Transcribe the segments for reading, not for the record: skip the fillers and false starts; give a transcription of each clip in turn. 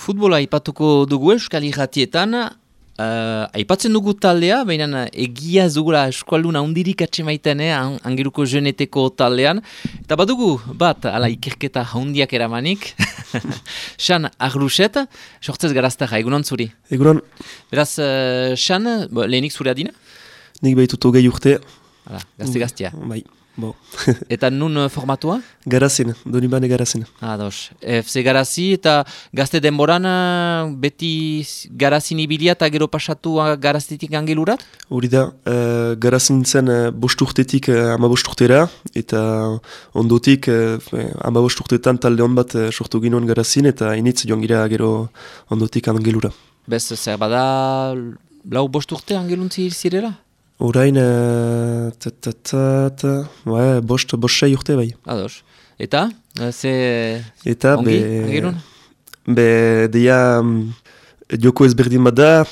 Futbola aipatuko dugu Euskal Irratietan, aipatzen dugu taldea, baina egia ez dugula eskualdun handirik atxemaiten, Angeluko Jeneteko taldean. Eta badugu bat, ala ikerketa handiak eramanik, Xan Arluxet, sortzez garaztaja, egunon zuri. Egunon. Beraz, Xan, lehenik zure adina? Nik behitutu gehi urte. Hala, gazte-gaztea. Bai, bo. Eta nun formatua? Garazen, Donibane Garazen. Ados. FC Garazi eta gazte denboran beti Garazin ibilia eta gero pasatu Garazitik Angelurat? Hori da, Garazen zen 5 urtetik 15 urtera, eta ondotik 15 urtetan talde hon bat sortu ginoen Garazin, eta initz joan gira gero ondotik Angelura. Bez, zer bada 5 urte Angeluntzi zirela? Orain, bost sei urte bai. Ados. Eta? Eta, ongi, Angelun? Deia joko ezberdin bat da,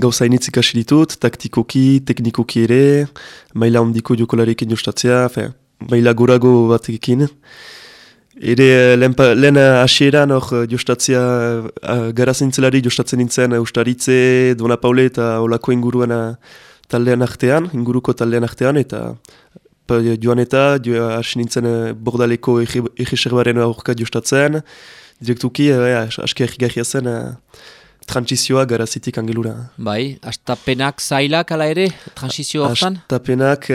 gauza initz ikasi ditut, taktikoki, teknikoki ere, maila ondiko jokolarekin jostatzea, maila gorago batekin. Ere lehen hasieran jostatzea, Garazintzelari jostatzen nintzen Ustaritze, Dona Paule eta olako inguruko taldean artean, eta joan eta hasi nintzen Bordaleko egiserbaren aurka jostatzen, direktuki aski egigarria zen transizioa Garazitik Angelura. Bai, astapenak zailak ala ere, transizio hortan? Astapenak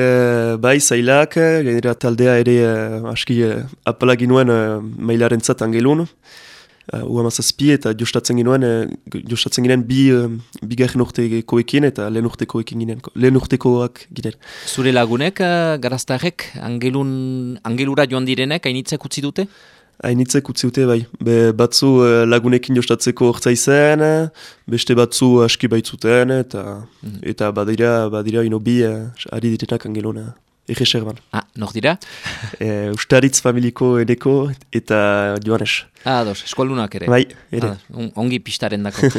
bai zailak, gainera taldea ere aski apalagin nuen mailaren zat Angelun. U-hamazazpi eta jostatzen ginen bigarren urtekoekin eta lehen urtekoak ginen. Zure lagunek, garaztarek, Angelura joan direnek, hainitzek utzi dute? Hainitzek utzi dute, bai. Batzu lagunekin jostatzeko hortza izan, beste batzu aski baitzuten, eta badira inobi ari direnak Angeluna. Egeserban. Nor dira? Ustaritz familiko edeko eta Joanes. Ados, eskualdunak ere. Bai, ere. Ongi pistaren dako.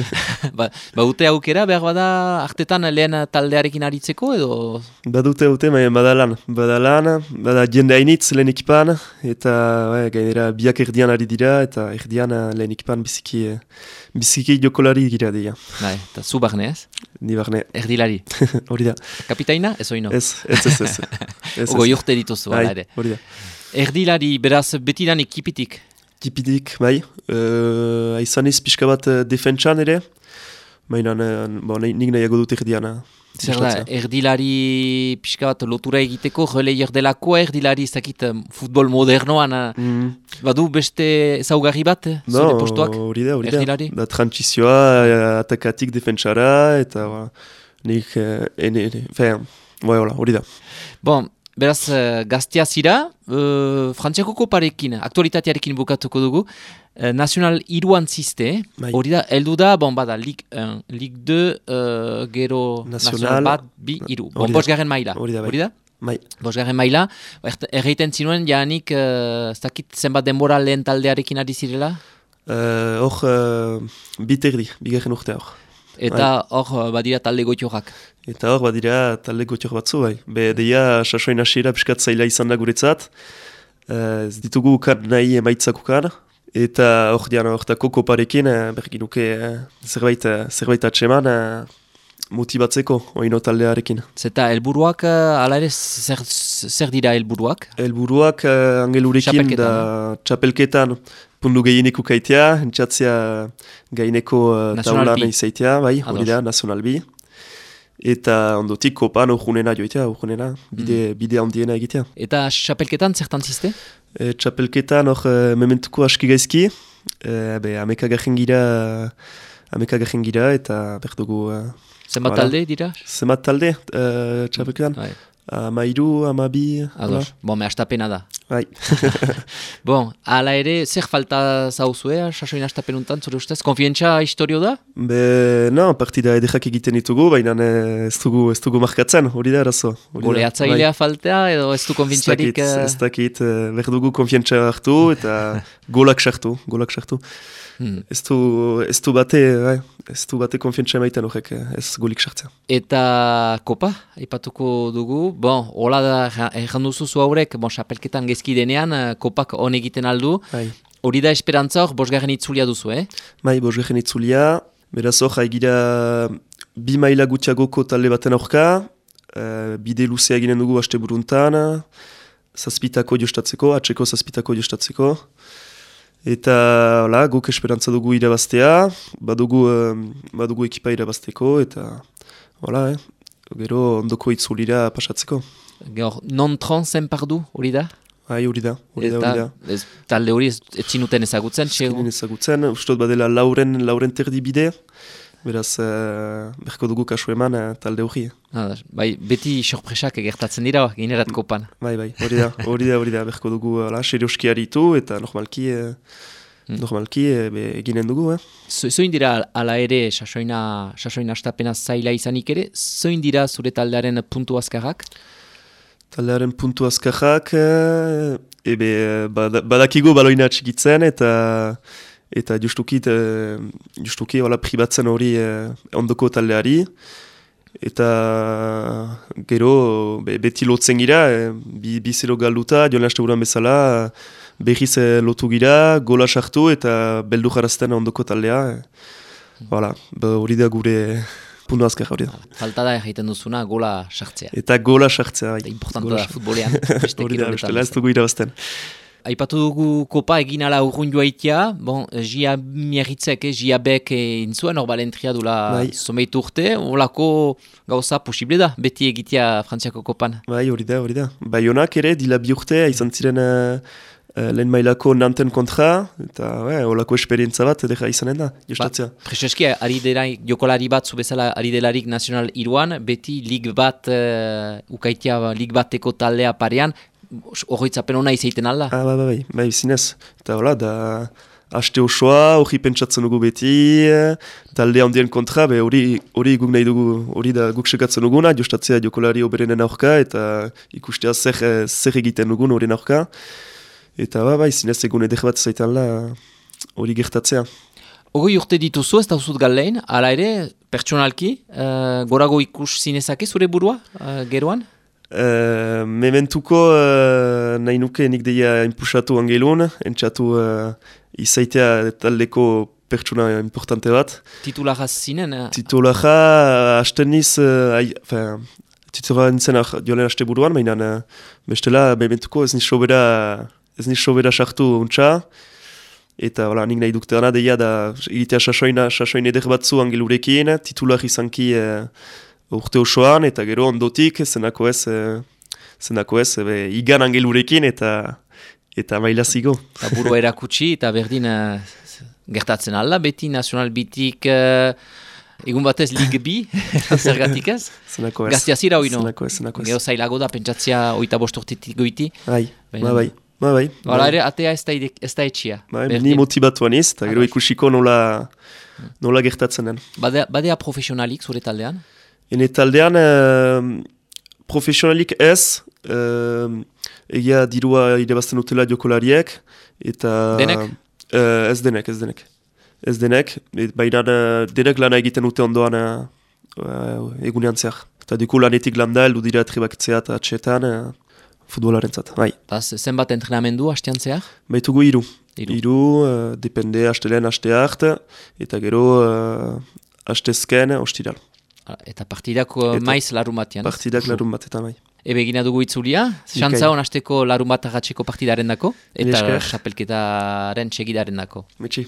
Badute aukera, behar bada artetan lehen taldearekin aritzeko edo? Badute, bada jende hainitz lehen ekipan, eta gainera biak erdian ari dira, eta erdian lehen ekipan biziki jokolari gira dira. Eta zu barne ez? Ni barne. Erdilari? Hori da. Kapitaina, ez oino? Ez. Ogo jurte dituzu, ere. Hori da. Erdilari, beraz, betidan ekipitik? Ekipitik, bai. Aizaniz pixka bat defentsan ere. Baina, nik nahiago dut erdiana. Zer da, erdilari pixka bat lotura egiteko, releier delakoa erdilari ezakit futbol modernoan, badu beste ezaugarri bat, zure postuak, erdilari? Da transizioa, atakatik defentsara, eta nik, hori da. Bon, beraz, gaztea zira, Frantziako koparekin, aktualitatearekin bukatuko dugu, Nacional iruan ziste, hori da, eldu da, bada, Ligue 1, Ligue 2, gero Nacional bat, bi, iru. Bosgarren maila, hori da? Bai. Bosgarren maila, erreiten zinuen, jaanik, ez dakit zenbat denbora lehen taldearekin ari zirela? bigarren urte hor. Eta hor badira talde goitiorak. Eta hor badira talde goitiok batzu, bai. Deia, sasoin hasiera piskat zaila izan da guretzat. Ez ditugu ukan nahi emaitzak ukan. Eta hor dian hortako koparekin, berginuke zerbait atseman motibatzeko oino taldearekin. Zeta helburuak, ala ere, zer dira helburuak? Helburuak Angelurekin da txapelketan pundu gehieneko kaitea, entzatzea gaineko taulan izaitea, bai, hori da, Nacional B. Eta ondotik kopan urgunena joitea, bide handiena egitea. Eta txapelketan zertan ziste? Txapelketan mementuko aski gaizki, ameka garen gira eta berdugu... Zenbat talde dira? Zenbat talde txapelketan? Amairu, amabi... Ados, me astapena da. Bai. Ala ere, zer falta zauzue, sasoin astapenuntan, zure ustez? Konfientza historio da? Partida edekak egiten ditugu, baina ez dugu markatzen, hori da arazo. Goleatzailea faltea, edo ez du konfientzarik... Ez dakit, berdugu konfientza hartu eta golak sartu. Ez du bate konfientza emaiten horrek, ez golik sartzea. Eta kopa, ipatuko dugu, hola da, erranduzu zu haurek, xapelketan gezki denean, kopak hon egiten aldu, Hori da esperantza hor, bosgarren itzulia duzu, Bai, bosgarren itzulia, beraz hor, haigira 2 maila gutxiagoko talde baten aurka, bide luzea eginen dugu aste buruntan, zazpitako jostatzeko, atseko zazpitako jostatzeko, eta hola, guk esperantza dugu irabaztea, badugu ekipa irabazteko, eta hola, gero ondoko itzulira pasatzeko. Non-tron zen pardu, hori da? Bai, hori da. Talde hori ez zinuten ezagutzen? Ezagutzen, ustot badela lauren terdi bide, beraz, berko dugu kasu eman talde hori. Bai, beti sorpresak egertatzen dira, ginerat kopan. Bai, hori da, berko dugu serioski haritu, eta normalki eginen dugu. Zoin dira ala ere, sasoina astapena zaila izanik ere, zoin dira zure taldearen puntu azkarrak? Taldearen puntu azkarrak, badakigu baloina txikitzen, eta justuki hola pribatzen hori ondoko taldeari, eta gero beti lotzen gira, bizero galduta, joan haste buruan bezala, behiz lotu gira, gola sartu eta beldu jarazten ondoko taldea. Hori da gure puntu azkar hori da. Falta da egiten duzuna gola sartzea. Eta gola sartzea. Eta importanta da futbolean. Hori da, bestela ez dugu irabazten. Aipatu dugu kopa egin ala urrun joaitia, Gia miagitzek, Gia bek intzuen, hor balentria dula someitu urte, holako gauza posible da, beti egitea Frantziako kopan. Bai, hori da. Baionak ere, dila bi urte, izan ziren lehen mailako Nanten kontra, eta holako esperientza bat edera izanen da, jostatzea. Prezeski, jokolari bat, zubezala ari delarik Nacional Iruan, beti lig bat, ukaitia lig bateko taldea parean, horretzapen hona izaiten alda? Bai, zinez. Eta hola, da haste osoa, hori pentsatzen dugu beti, talde handien kontra, hori guk nahi dugu, hori da guk sekatzen duguna, jostatzea jokolari oberenen aurka, eta ikustea zer egiten dugun horien aurka. Eta bai, zinez egun edek bat zaitan la hori gertatzea. Hori urte dituzu ez dauzut gallein, ala ere, pertsonalki, gorago ikus zinezake zure burua, geroan? Mementuko nahi nuke nik deia impusatu angelun, entzatu izaitea taldeko pertsona importante bat. Titularra zinen? Titularra hasten niz, titularra nintzen joan haste buruan, mainan bestela mementuko ez niz sobera sartu untxa, eta nik nahi dukte gana deia da egitea sasoin eder batzu angelurekin, titular izanki urte osoan, eta gero ondotik, zenako ez, igan angelurekin, eta maila zigo. Burua erakutsi, eta berdin gertatzen alda, beti Nacional bitik, egun batez Ligue B, zergatik ez? Zenako ez. Gaztiazira hori no? Zenako ez. Gero zailago da, pentsatzea 25 urtetik goiti. Bai. Hala ere, atea ez da etxia. Ni motibatuan ez, eta gero ikusiko nola gertatzen den. Badea profesionalik zure taldean? Ene taldean, profesionalik ez, egia dirua idebazten utela jokolariek, eta... Denek? Ez denek, baina denek lana egiten dute ondoan egunean zehar. Eta duku lanetik landa, eldu dira trebakitzea eta atxetan futbolaren zat. Zenbat entrenamendu hastean zehar? Baitugu 3. 3, depende hastelen haste hart, eta gero hastezken hostiral. Eta partidak maiz larun batean. Partidak larun bat, eta mai. Ebe egina dugu itzulia, xantza hon hasteko larun bat agatzeko partidaren dako, eta xapelketaren txegidaren dako. Metxi.